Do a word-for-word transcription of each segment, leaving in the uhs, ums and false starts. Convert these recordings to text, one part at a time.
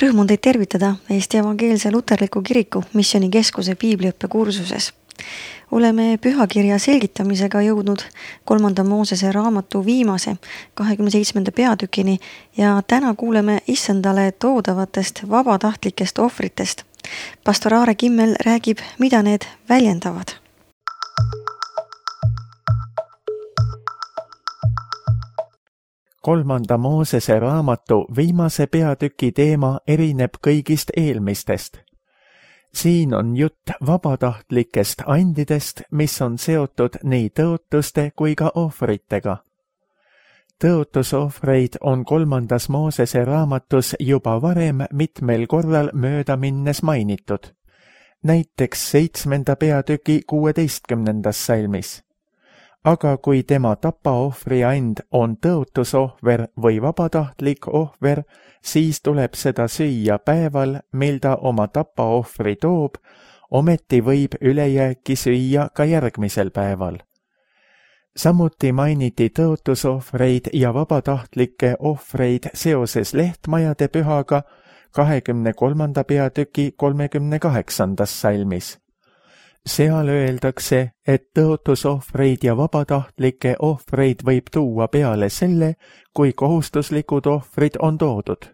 Rõõm on teid tervitada Eesti Evangeelse Luterliku Kiriku Missioonikeskuse piibliõppekursuses. Oleme pühakirja selgitamisega jõudnud kolmanda Moosese raamatu viimase kahekümne seitsmenda peatükini ja täna kuuleme issandale toodavatest vabatahtlikest ohvritest. Pastor Aare Kimmel räägib, mida need väljendavad. Kolmanda Moosese raamatu viimase peatüki teema erineb kõigist eelmistest. Siin on jutt vabatahtlikest andidest, mis on seotud nii tõotuste kui ka ohvritega. Tõotusohvreid on kolmandas Moosese raamatus juba varem mitmel korral mööda minnes mainitud, näiteks seitsmenda peatüki kuueteistkümnendas salmis. Aga kui tema tapaohvri and on tõotusohver või vabatahtlik ohver, siis tuleb seda süüa päeval, mil ta oma tapaohvri toob, ometi võib ülejääki süüa ka järgmisel päeval. Samuti mainiti tõotusohvreid ja vabatahtlikke ohvreid seoses lehtmajade pühaga kahekümne kolmanda peatüki kolmekümne kaheksandas salmis. Seal öeldakse, et tõotusohvreid ja vabatahtlikke ohvreid võib tuua peale selle, kui kohustuslikud ohvrid on toodud.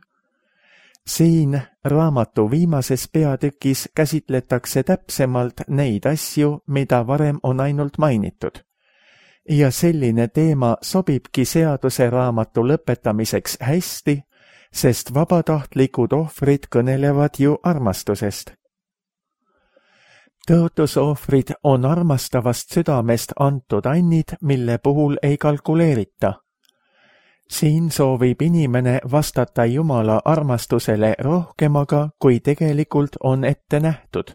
Siin raamatu viimases peatükis käsitletakse täpsemalt neid asju, mida varem on ainult mainitud. Ja selline teema sobibki seaduse raamatu lõpetamiseks hästi, sest vabatahtlikud ohvrid kõnelevad ju armastusest. Tõotusohvrid on armastavast südamest antud annid, mille puhul ei kalkuleerita. Siin soovib inimene vastata Jumala armastusele rohkemaga, kui tegelikult on ette nähtud.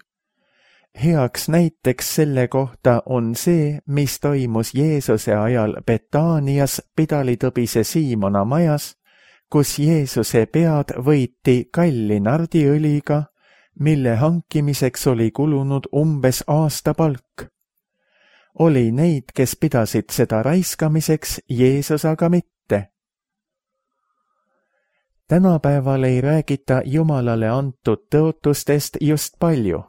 Heaks näiteks selle kohta on see, mis toimus Jeesuse ajal Betaanias pidalitõbise Siimona majas, kus Jeesuse pead võiti kalli nardiõliga, mille hankimiseks oli kulunud umbes aasta palk. Oli neid, kes pidasid seda raiskamiseks, Jeesus aga mitte. Tänapäeval ei räägita Jumalale antud tõotustest just palju.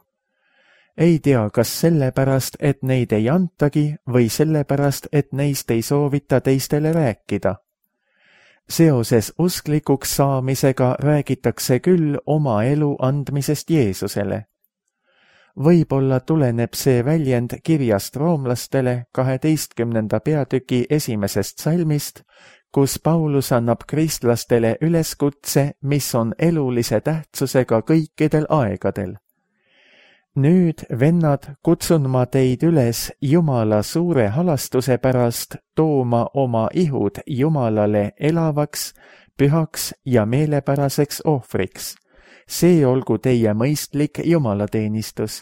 Ei tea, kas sellepärast, et neid ei antagi või sellepärast, et neist ei soovita teistele rääkida. Seoses usklikuks saamisega räägitakse küll oma elu andmisest Jeesusele. Võib-olla tuleneb see väljend kirjast roomlastele kaheteistkümnenda peatüki esimesest salmist, kus Paulus annab kristlastele üleskutse, mis on elulise tähtsusega kõikidel aegadel. Nüüd, vennad, kutsun ma teid üles Jumala suure halastuse pärast tooma oma ihud Jumalale elavaks, pühaks ja meelepäraseks ohvriks. See olgu teie mõistlik jumalateenistus.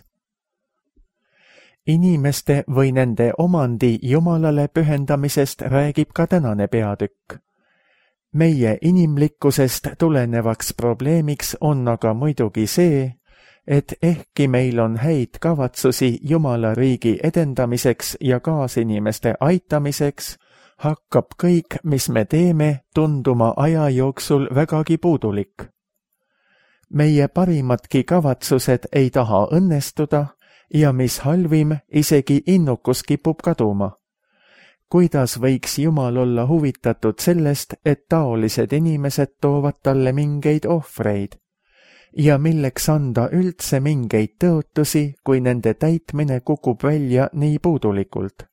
Inimeste või nende omandi Jumalale pühendamisest räägib ka tänane peatükk. Meie inimlikkusest tulenevaks probleemiks on aga muidugi see, et ehkki meil on häid kavatsusi Jumala riigi edendamiseks ja kaasinimeste aitamiseks, hakkab kõik, mis me teeme, tunduma aja jooksul vägagi puudulik. Meie parimadki kavatsused ei taha õnnestuda ja mis halvim, isegi innukus kipub kaduma. Kuidas võiks Jumal olla huvitatud sellest, et taolised inimesed toovad talle mingeid ohvreid? Ja milleks anda üldse mingeid tõotusi, kui nende täitmine kukub välja nii puudulikult?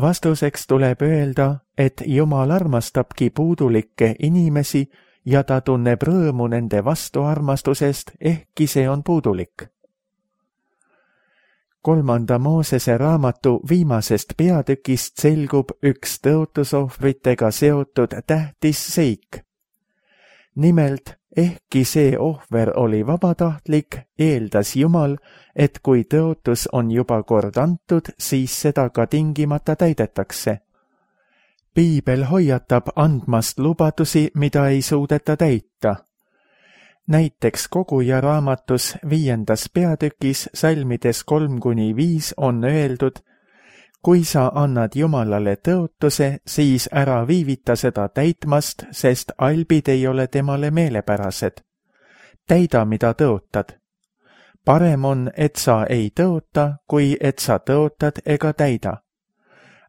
Vastuseks tuleb öelda, et Jumal armastabki puudulikke inimesi ja ta tunneb rõõmu nende vastuarmastusest, ehkki see on puudulik. Kolmanda Moosese raamatu viimasest peatükist selgub üks tõotusohvritega seotud tähtis seik. Nimelt, ehkki see ohver oli vabatahtlik, eeldas Jumal, et kui tõotus on juba kord antud, siis seda ka tingimata täidetakse. Piibel hoiatab andmast lubadusi, mida ei suudeta täita. Näiteks Koguja raamatus viiendas peatükis salmides kolm kuni viis on öeldud: kui sa annad Jumalale tõotuse, siis ära viivita seda täitmast, sest albid ei ole temale meelepärased. täida, mida tõotad. Parem on, et sa ei tõota, kui et sa tõotad ega täida.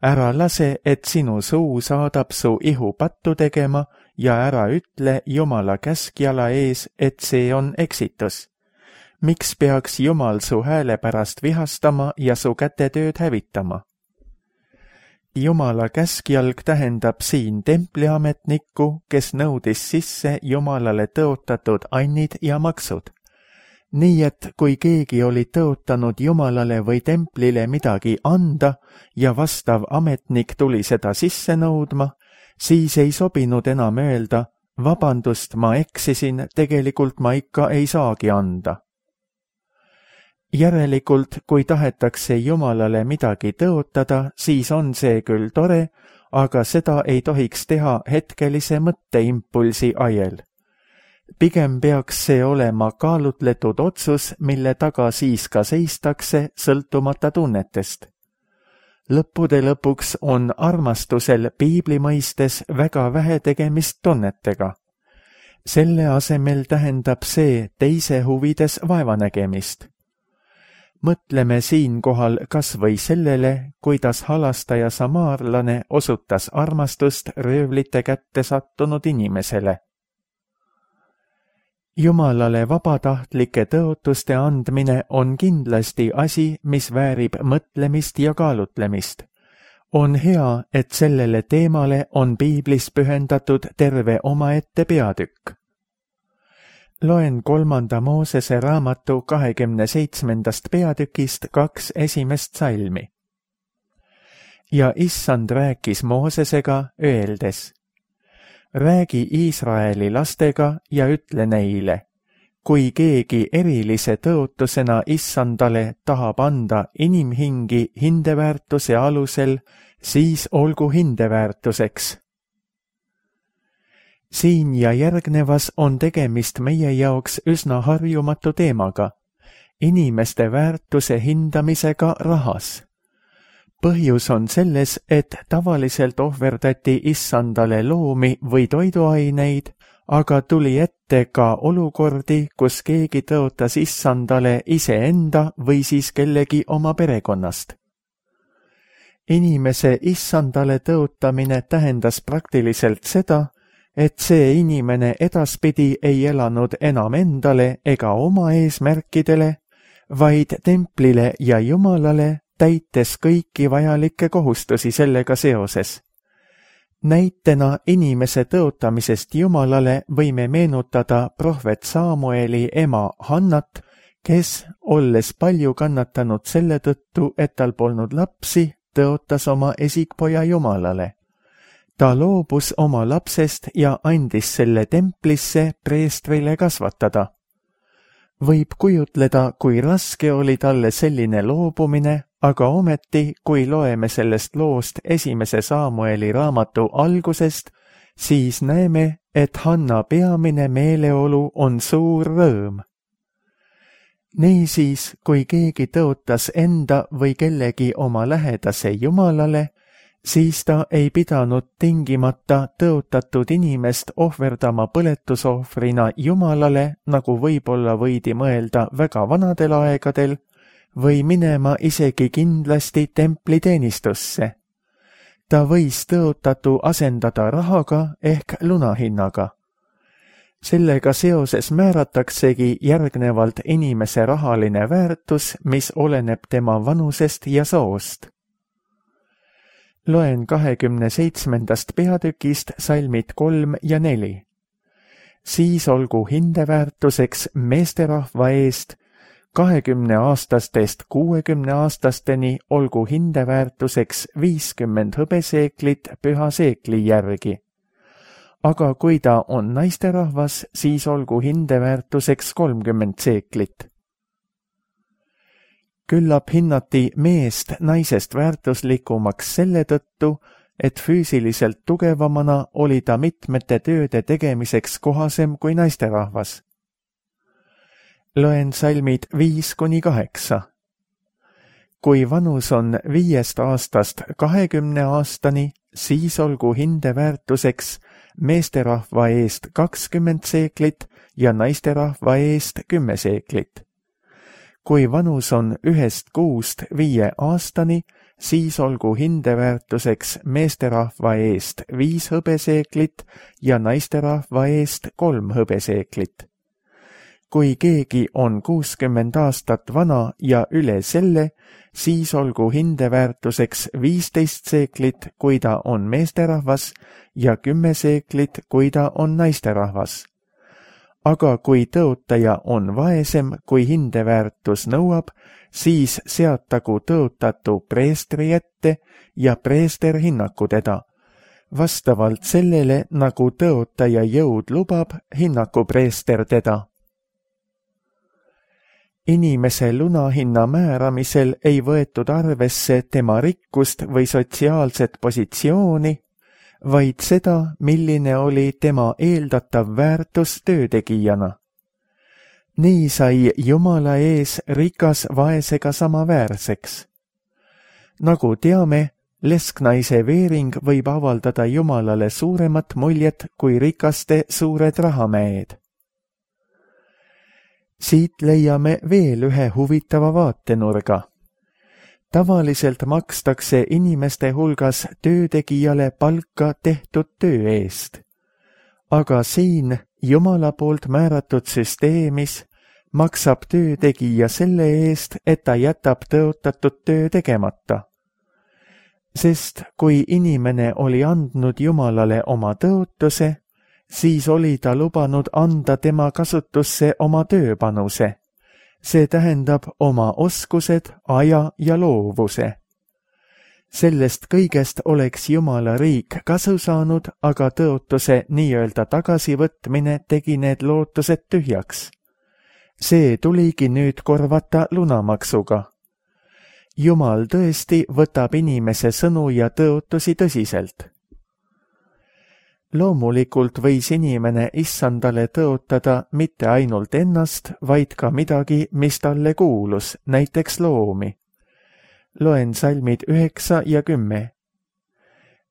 Ära lase, et sinu suu saadab su ihu pattu tegema ja ära ütle Jumala käskjala ees, et see on eksitus. Miks peaks Jumal su hääle pärast vihastama ja su kätetööd hävitama? Jumala käskjalg tähendab siin templiametnikku, kes nõudis sisse Jumalale tõotatud annid ja maksud. Nii et kui keegi oli tõotanud Jumalale või templile midagi anda ja vastav ametnik tuli seda sisse nõudma, siis ei sobinud enam öelda, vabandust, ma eksisin, tegelikult ma ikka ei saagi anda. Järelikult, kui tahetakse Jumalale midagi tõotada, siis on see küll tore, aga seda ei tohiks teha hetkelise mõtteimpulsi ajel. Pigem peaks see olema kaalutletud otsus, mille taga siis ka seistakse sõltumata tunnetest. Lõppude lõpuks on armastusel piibli mõistes väga vähe tegemist tunnetega. Selle asemel tähendab see teise huvides vaevanägemist. Mõtleme siinkohal kas või sellele, kuidas halastaja samaarlane osutas armastust röövlite kätte sattunud inimesele. Jumalale vabatahtlike tõotuste andmine on kindlasti asi, mis väärib mõtlemist ja kaalutlemist. On hea, et sellele teemale on piiblis pühendatud terve omaette peatükk. Loen kolmanda Moosese raamatu kahekümne seitsmendast peatükist kaks esimest salmi. Ja issand rääkis Moosesega, öeldes: räägi Iisraeli lastega ja ütle neile, kui keegi erilise tõotusena issandale tahab anda inimhingi hindeväärtuse alusel, siis olgu hindeväärtuseks. Siin ja järgnevas on tegemist meie jaoks üsna harjumatu teemaga, inimeste väärtuse hindamisega rahas. Põhjus on selles, et tavaliselt ohverdati issandale loomi või toiduaineid, aga tuli ette ka olukordi, kus keegi tõotas issandale iseenda või siis kellegi oma perekonnast. Inimese issandale tõotamine tähendas praktiliselt seda, et see inimene edaspidi ei elanud enam endale ega oma eesmärkidele, vaid templile ja Jumalale, täites kõiki vajalikke kohustusi sellega seoses. Näitena inimese tõotamisest Jumalale võime meenutada prohvet Samueli ema Hannat, kes, olles palju kannatanud selle tõttu, et tal polnud lapsi, tõotas oma esikpoja Jumalale. Ta loobus oma lapsest ja andis selle templisse preestrile kasvatada. Võib kujutleda, kui raske oli talle selline loobumine, aga ometi, kui loeme sellest loost esimese Samueli raamatu algusest, siis näeme, et Hanna peamine meeleolu on suur rõõm. Niisiis, kui keegi tõotas enda või kellegi oma lähedase Jumalale, siis ta ei pidanud tingimata tõotatud inimest ohverdama põletusohvrina Jumalale, nagu võib-olla võidi mõelda väga vanadel aegadel, või minema isegi kindlasti templiteenistusse. Ta võis tõotatu asendada rahaga ehk lunahinnaga. Sellega seoses määrataksegi järgnevalt inimese rahaline väärtus, mis oleneb tema vanusest ja soost. Loen kahekümne seitsmendast peatükist salmid kolm ja neli. Siis olgu hindeväärtuseks meesterahva eest kahekümne aastastest kuuekümne aastasteni olgu hindeväärtuseks viiskümmend hõbeseeklit püha seekli järgi. Aga kui ta on naisterahvas, siis olgu hindeväärtuseks kolmkümmend seeklit. Küllap hinnati meest naisest väärtuslikumaks selle tõttu, et füüsiliselt tugevamana oli ta mitmete tööde tegemiseks kohasem kui naisterahvas. Loen salmid viis kuni kaheksa. Kui vanus on viiest aastast kahekümne aastani, siis olgu hindeväärtuseks meesterahva eest kakskümmend seeklit ja naisterahva eest kümme seeklit. Kui vanus on ühest kuust viie aastani, siis olgu hindeväärtuseks meesterahva eest viis hõbeseeklit ja naisterahva eest kolm hõbeseeklit. Kui keegi on kuuskümmend aastat vana ja üle selle, siis olgu hindeväärtuseks viisteist seeklit, kui ta on meesterahvas, ja kümme seeklit, kui ta on naisterahvas. Aga kui tõotaja on vaesem, kui hindeväärtus nõuab, siis seatagu tõotatu preestri ette ja preester hinnaku teda. Vastavalt sellele, nagu tõotaja jõud lubab, hinnaku preester teda. Inimese lunahinna määramisel ei võetud arvesse tema rikkust või sotsiaalset positsiooni, vaid seda, milline oli tema eeldatav väärtus töötegijana. Nii sai Jumala ees rikas vaesega samaväärseks. Nagu teame, lesknaise veering võib avaldada Jumalale suuremat muljet kui rikaste suured rahamäed. Siit leiame veel ühe huvitava vaatenurga. Tavaliselt makstakse inimeste hulgas töötegijale palka tehtud töö eest. Aga siin Jumala poolt määratud süsteemis maksab töötegija selle eest, et ta jätab tõotatud töö tegemata. Sest kui inimene oli andnud Jumalale oma tõotuse, siis oli ta lubanud anda tema kasutusse oma tööpanuse. See tähendab oma oskused, aja ja loovuse. Sellest kõigest oleks Jumala riik kasu saanud, aga tõotuse nii-öelda tagasivõtmine tegi need lootused tühjaks. See tuligi nüüd korvata lunamaksuga. Jumal tõesti võtab inimese sõnu ja tõotusi tõsiselt. Loomulikult võis inimene issandale tõotada mitte ainult ennast, vaid ka midagi, mis talle kuulus, näiteks loomi. Loen salmid üheksa ja kümme.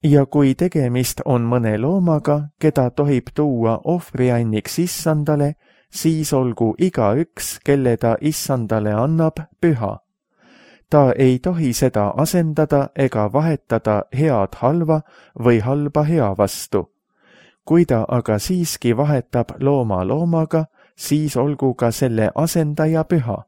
Ja kui tegemist on mõne loomaga, keda tohib tuua ohvrianniks issandale, siis olgu igaüks, kelle ta issandale annab, püha. Ta ei tohi seda asendada ega vahetada head halva või halba hea vastu. Kui ta aga siiski vahetab looma loomaga, siis olgu ka selle asendaja püha.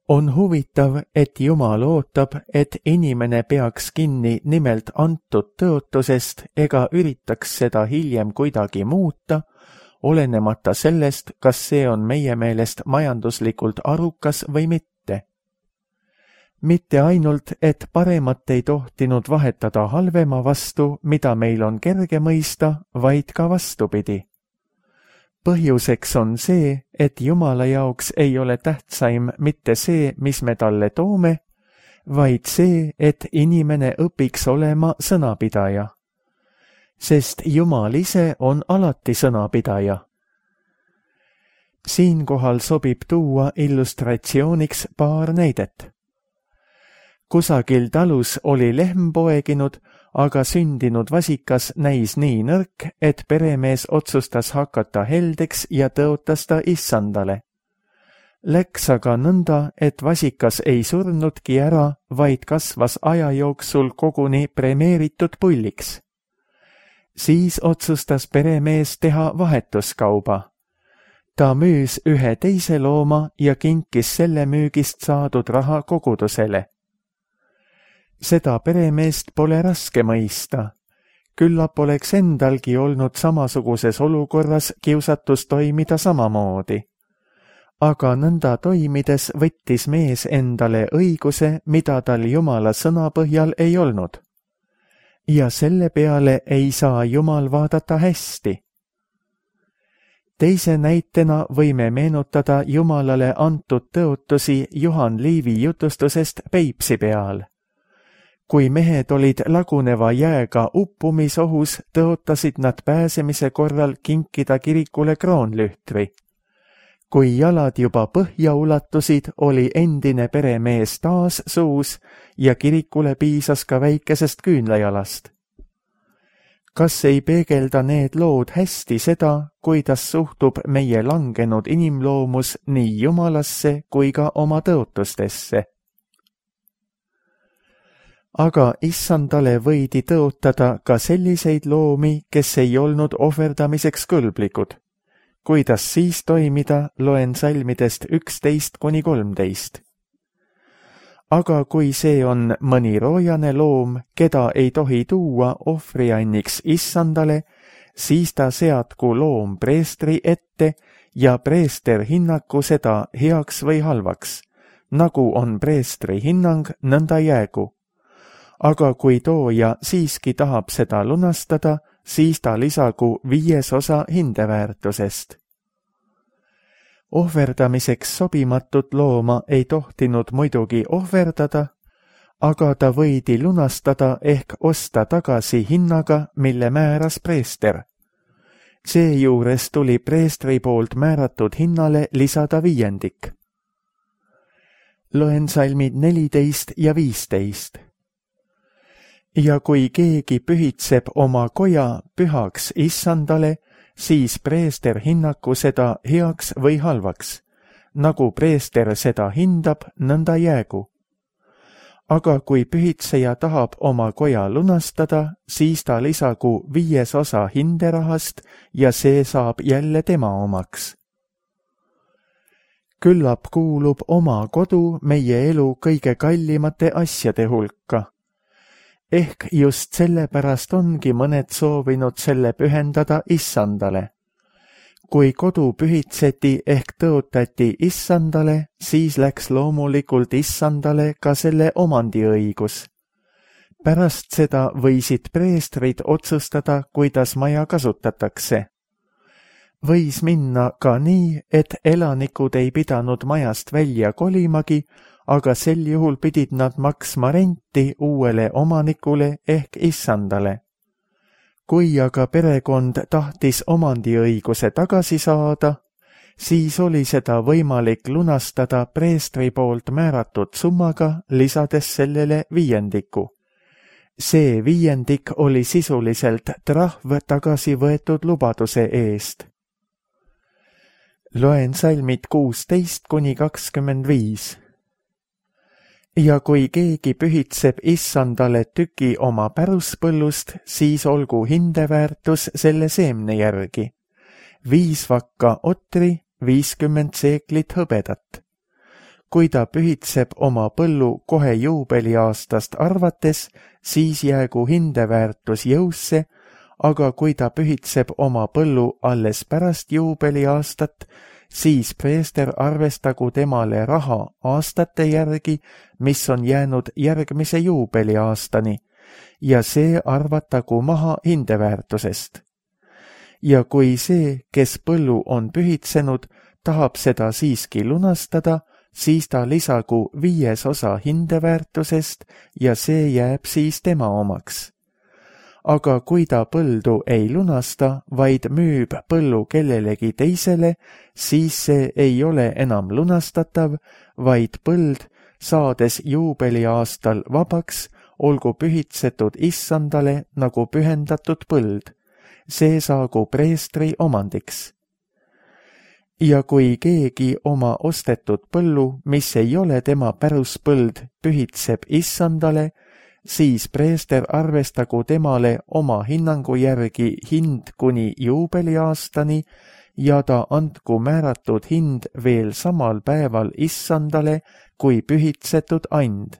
On huvitav, et Jumal ootab, et inimene peaks kinni nimelt antud tõotusest ega üritaks seda hiljem kuidagi muuta, olenemata sellest, kas see on meie meelest majanduslikult arukas või mitte. Mitte ainult, et paremat ei tohtinud vahetada halvema vastu, mida meil on kerge mõista, vaid ka vastupidi. Põhjuseks on see, et Jumala jaoks ei ole tähtsaim mitte see, mis me talle toome, vaid see, et inimene õpiks olema sõnapidaja. Sest Jumal ise on alati sõnapidaja. Siinkohal sobib tuua illustratsiooniks paar näidet. Kusagil talus oli lehm poeginud, aga sündinud vasikas näis nii nõrk, et peremees otsustas hakata heldeks ja tõotas ta issandale. Läks aga nõnda, et vasikas ei surnudki ära, vaid kasvas aja jooksul koguni premeeritud pulliks. Siis otsustas peremees teha vahetuskauba. Ta müüs ühe teise looma ja kinkis selle müügist saadud raha kogudusele. Seda peremeest pole raske mõista. Küllap oleks endalgi olnud samasuguses olukorras kiusatus toimida samamoodi. Aga nõnda toimides võttis mees endale õiguse, mida tal Jumala sõna põhjal ei olnud. Ja selle peale ei saa Jumal vaadata hästi. Teise näitena võime meenutada Jumalale antud tõotusi Juhan Liivi jutustusest Peipsi peal. Kui mehed olid laguneva jääga uppumisohus, tõotasid nad pääsemise korral kinkida kirikule kroonlühtri. Kui jalad juba põhja ulatusid, oli endine peremees taas suus ja kirikule piisas ka väikesest küünlajalast. kas ei peegelda need lood hästi seda, kuidas suhtub meie langenud inimloomus nii Jumalasse kui ka oma tõotustesse? Aga issandale võidi tõotada ka selliseid loomi, kes ei olnud ohverdamiseks kõlblikud. Kuidas siis toimida, loen salmidest üksteist kuni kolmteist. Aga kui see on mõni roojane loom, keda ei tohi tuua ohvrianniks issandale, siis ta seadku loom preestri ette ja preester hinnaku seda heaks või halvaks. Nagu on preestri hinnang, nõnda jäägu. Aga kui tooja siiski tahab seda lunastada, siis ta lisagu viies osa hindeväärtusest. Ohverdamiseks sobimatut looma ei tohtinud muidugi ohverdada, aga ta võidi lunastada ehk osta tagasi hinnaga, mille määras preester. Seejuures tuli preestri poolt määratud hinnale lisada viiendik. Loen salmid neliteist ja viisteist. Ja kui keegi pühitseb oma koja pühaks issandale, siis preester hinnaku seda heaks või halvaks. Nagu preester seda hindab, nõnda jäägu. Aga kui pühitseja tahab oma koja lunastada, siis ta lisagu viies osa hinderahast ja see saab jälle tema omaks. Küllap kuulub oma kodu meie elu kõige kallimate asjade hulka. Ehk just sellepärast ongi mõned soovinud selle pühendada issandale. Kui kodu pühitseti ehk tõotati issandale, siis läks loomulikult issandale ka selle omandiõigus. Pärast seda võisid preestrid otsustada, kuidas maja kasutatakse. Võis minna ka nii, et elanikud ei pidanud majast välja kolimagi, aga sel juhul pidid nad maksma renti uuele omanikule ehk issandale. Kui aga perekond tahtis omandiõiguse tagasi saada, siis oli seda võimalik lunastada preestri poolt määratud summaga, lisades sellele viiendiku. See viiendik oli sisuliselt trahv tagasi võetud lubaduse eest. Loen salmid kuusteist kuni kakskümmend viis. Ja kui keegi pühitseb issandale tüki oma päruspõllust, siis olgu hindeväärtus selle seemne järgi. Viis vakka otri, viiskümmend seeklit hõbedat. Kui ta pühitseb oma põllu kohe juubeliaastast arvates, siis jäägu hindeväärtus jõusse, aga kui ta pühitseb oma põllu alles pärast juubeliaastat, siis preester arvestagu temale raha aastate järgi, mis on jäänud järgmise juubeliaastani, ja see arvatagu maha hindeväärtusest. Ja kui see, kes põllu on pühitsenud, tahab seda siiski lunastada, siis ta lisagu viies osa hindeväärtusest ja see jääb siis tema omaks. Aga kui ta põldu ei lunasta, vaid müüb põllu kellelegi teisele, siis see ei ole enam lunastatav, vaid põld, saades juubeliaastal vabaks, olgu pühitsetud issandale nagu pühendatud põld. See saagu preestri omandiks. Ja kui keegi oma ostetud põllu, mis ei ole tema päruspõld, pühitseb issandale, siis preester arvestagu temale oma hinnangu järgi hind kuni juubeliaastani ja ta andku määratud hind veel samal päeval issandale kui pühitsetud and.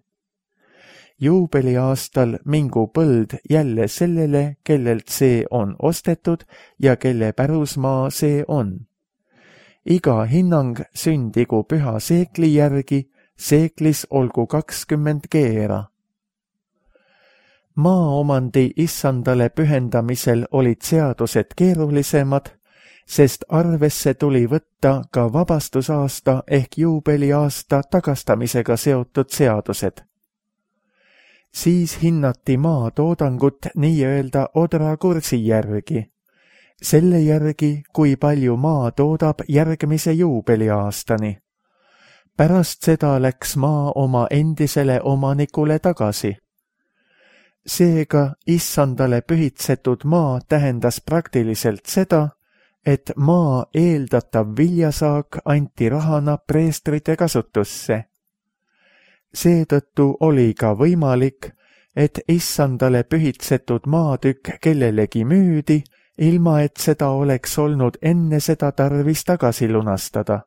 Juubeliaastal mingu põld jälle sellele, kellelt see on ostetud ja kelle pärusmaa see on. Iga hinnang sündigu püha seekli järgi, seeklis olgu kakskümmend keera. Maaomandi issandale pühendamisel olid seadused keerulisemad, sest arvesse tuli võtta ka vabastusaasta ehk juubeliaasta tagastamisega seotud seadused. Siis hinnati maa toodangut nii-öelda odrakursi järgi, selle järgi, kui palju maa toodab järgmise juubeliaastani. Pärast seda läks maa oma endisele omanikule tagasi. Seega issandale pühitsetud maa tähendas praktiliselt seda, et maa eeldatav viljasaak anti rahana preestrite kasutusse. Seetõttu oli ka võimalik, et issandale pühitsetud maatükk kellelegi müüdi, ilma et seda oleks olnud enne seda tarvis tagasi lunastada.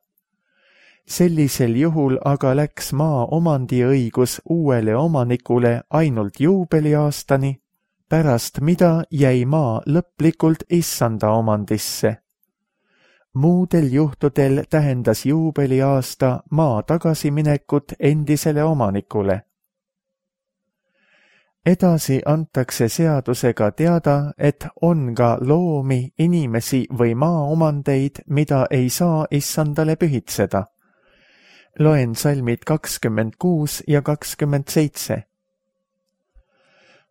Sellisel juhul aga läks maa omandiõigus uuele omanikule ainult juubeliaastani, pärast mida jäi maa lõplikult issanda omandisse. Muudel juhtudel tähendas juubeliaasta maa tagasiminekut endisele omanikule. Edasi antakse seadusega teada, et on ka loomi, inimesi või maaomandeid, mida ei saa issandale pühitseda. Loen salmid kakskümmend kuus ja kakskümmend seitse.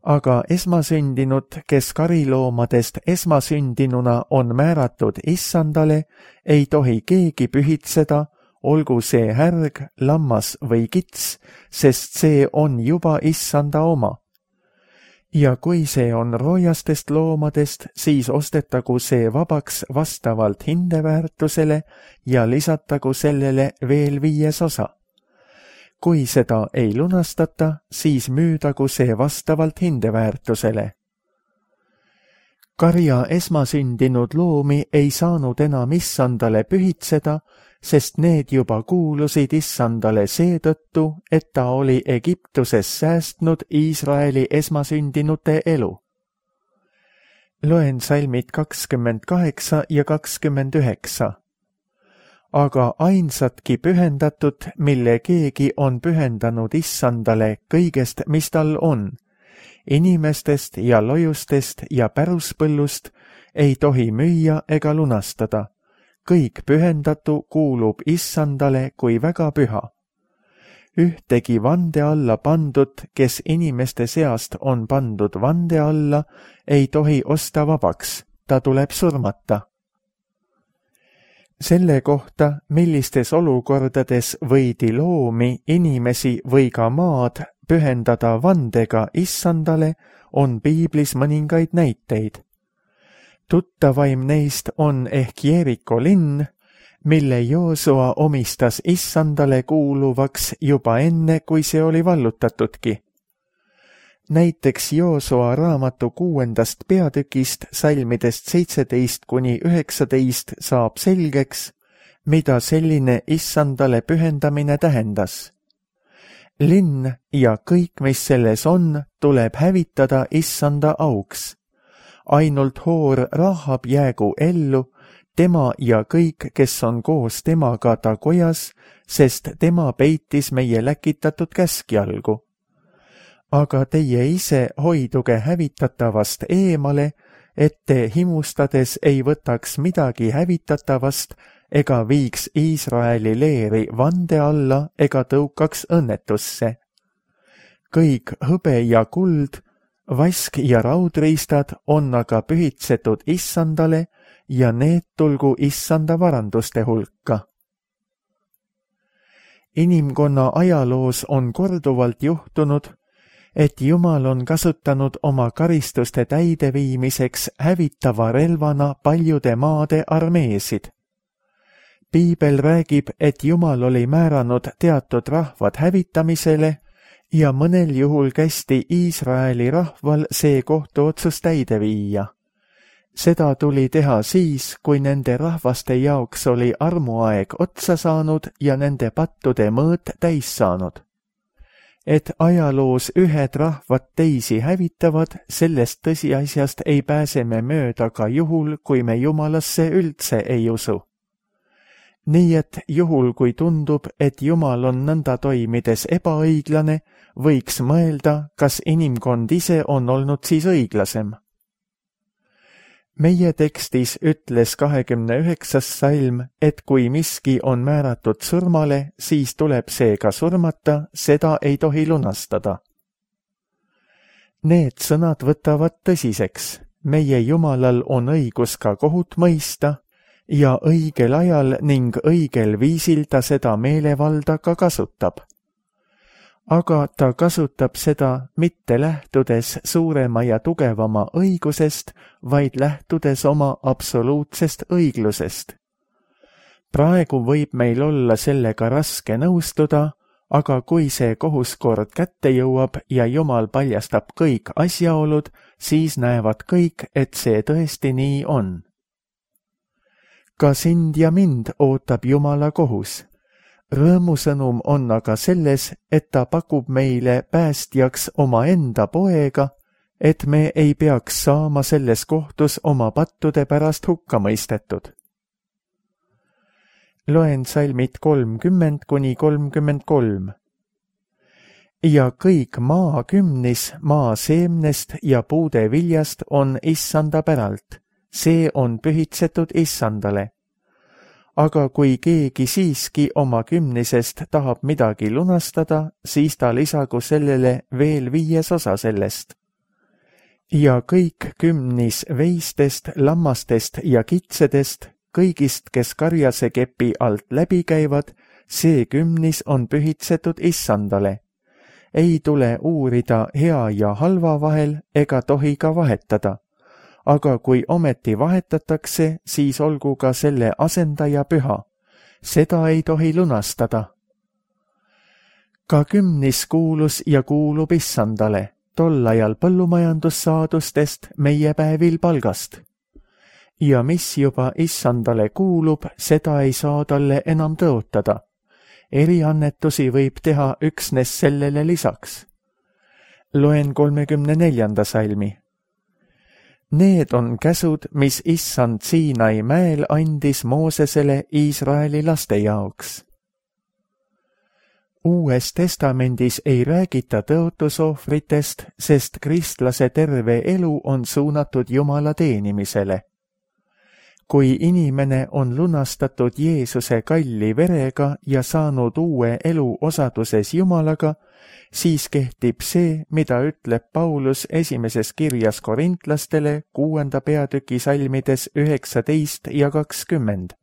Aga esmasündinud, kes kariloomadest esmasündinuna on määratud issandale, ei tohi keegi pühitseda, olgu see härg, lammas või kits, sest see on juba issanda oma. Ja kui see on roojastest loomadest, siis ostetagu see vabaks vastavalt hindeväärtusele ja lisatagu sellele veel viies osa. Kui seda ei lunastata, siis müüdagu see vastavalt hindeväärtusele. Karja esmasündinud loomi ei saanud enam issandale pühitseda, sest need juba kuulusid issandale seetõttu, et ta oli Egiptuses säästnud Iisraeli esmasündinute elu. Loen salmid kakskümmend kaheksa ja kakskümmend üheksa. Aga ainsatki pühendatud, mille keegi on pühendanud issandale kõigest, mis tal on, inimestest ja lojustest ja päruspõllust, ei tohi müüa ega lunastada. Kõik pühendatu kuulub issandale kui väga püha. Ühtegi vande alla pandud, kes inimeste seast on pandud vande alla, ei tohi osta vabaks, ta tuleb surmata. Selle kohta, millistes olukordades võidi loomi, inimesi või ka maad pühendada vandega issandale, on piiblis mõningaid näiteid. Tuttavaim neist on ehk Jeeriko linn, mille Joosua omistas issandale kuuluvaks juba enne, kui see oli vallutatudki. Näiteks Joosua raamatu kuuendast peatükist salmidest seitseteist kuni üheksateist saab selgeks, mida selline issandale pühendamine tähendas. Linn ja kõik, mis selles on, tuleb hävitada issanda auks. Ainult hoor Rahab jäägu ellu, tema ja kõik, kes on koos temaga ta kojas, sest tema peitis meie läkitatud käskjalgu. Aga teie ise hoiduge hävitatavast eemale, et te himustades ei võtaks midagi hävitatavast ega viiks Iisraeli leeri vande alla ega tõukaks õnnetusse. Kõik hõbe ja kuld, vask ja raudriistad on aga pühitsetud issandale ja need tulgu issanda varanduste hulka. Inimkonna ajaloos on korduvalt juhtunud, et Jumal on kasutanud oma karistuste täideviimiseks hävitava relvana paljude maade armeesid. Piibel räägib, et Jumal oli määranud teatud rahvad hävitamisele ja mõnel juhul kästi Iisraeli rahval see kohtuotsus täide viia. Seda tuli teha siis, kui nende rahvaste jaoks oli armuaeg otsa saanud ja nende pattude mõõt täis saanud. Et ajaloos ühed rahvad teisi hävitavad, sellest tõsiasjast ei pääse me mööda ka juhul, kui me Jumalasse üldse ei usu. Nii et juhul, kui tundub, et Jumal on nõnda toimides ebaõiglane, võiks mõelda, kas inimkond ise on olnud siis õiglasem. Meie tekstis ütles kahekümne üheksas salm, et kui miski on määratud surmale, siis tuleb see ka surmata, seda ei tohi lunastada. Need sõnad võtavad tõsiseks. Meie Jumalal on õigus ka kohut mõista ja õigel ajal ning õigel viisil ta seda meelevalda ka kasutab. aga ta kasutab seda mitte lähtudes suurema ja tugevama õigusest, vaid lähtudes oma absoluutsest õiglusest. Praegu võib meil olla sellega raske nõustuda, aga kui see kohuskord kätte jõuab ja Jumal paljastab kõik asjaolud, siis näevad kõik, et see tõesti nii on. Ka sind ja mind ootab Jumala kohus. Rõõmusõnum on aga selles, et ta pakub meile päästjaks omaenda poega, et me ei peaks saama selles kohtus oma pattude pärast hukka mõistetud. Loen salmid kolmkümmend kuni kolmkümmend kolm. Ja kõik maa kümnis maa seemnest ja puude viljast on issanda päralt, see on pühitsetud issandale. Aga kui keegi siiski oma kümnisest tahab midagi lunastada, siis ta lisagu sellele veel viies osa sellest. Ja kõik kümnis veistest, lammastest ja kitsedest, kõigist, kes karjase kepi alt läbi käivad, see kümnis on pühitsetud issandale. Ei tule uurida hea ja halva vahel ega tohi ka vahetada. Aga kui ometi vahetatakse, siis olgu ka selle asendaja püha. Seda ei tohi lunastada. Ka kümnis kuulus ja kuulub issandale, tol ajal põllumajandussaadustest meie päevil palgast. Ja mis juba issandale kuulub, seda ei saa talle enam tõotada. Eriannetusi võib teha üksnes sellele lisaks. Loen kolmekümne neljanda salmi. Need on käsud, mis issand Siinai mäel andis Moosesele Iisraeli laste jaoks. Uues testamendis ei räägita tõotusohvritest, sest kristlase terve elu on suunatud Jumala teenimisele. Kui inimene on lunastatud Jeesuse kalli verega ja saanud uue elu osaduses Jumalaga, siis kehtib see, mida ütleb Paulus esimeses kirjas korintlastele kuuenda peatüki salmides üheksateist ja kakskümmend.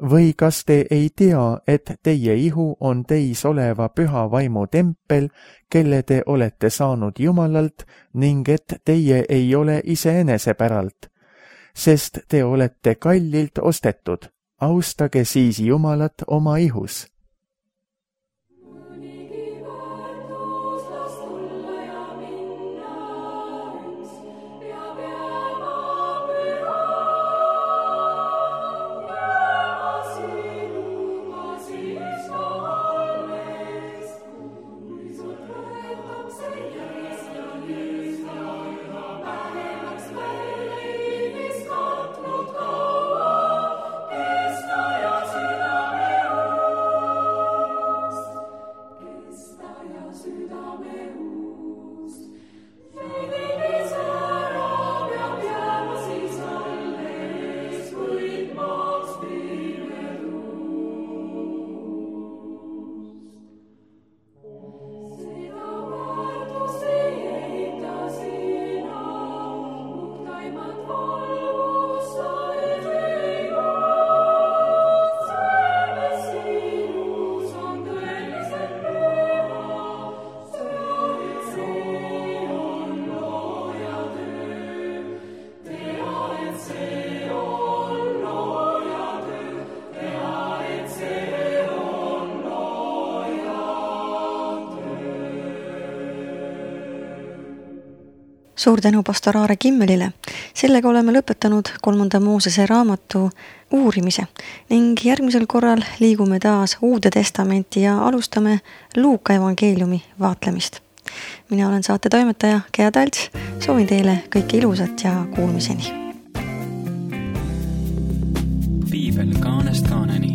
Või kas te ei tea, et teie ihu on teis oleva püha vaimu tempel, kelle te olete saanud Jumalalt, ning et teie ei ole iseenese päralt? Sest te olete kallilt ostetud, austage siis Jumalat oma ihus. Suur tänu pastor Aare Kimmelile. Sellega oleme lõpetanud kolmanda Moosese raamatu uurimise ning järgmisel korral liigume taas Uude Testamenti ja alustame Luuka evangeeliumi vaatlemist. Mina olen saate toimetaja Gea Talts, soovin teile kõike ilusat ja kuulmiseni. Piibel kaanest kaaneni.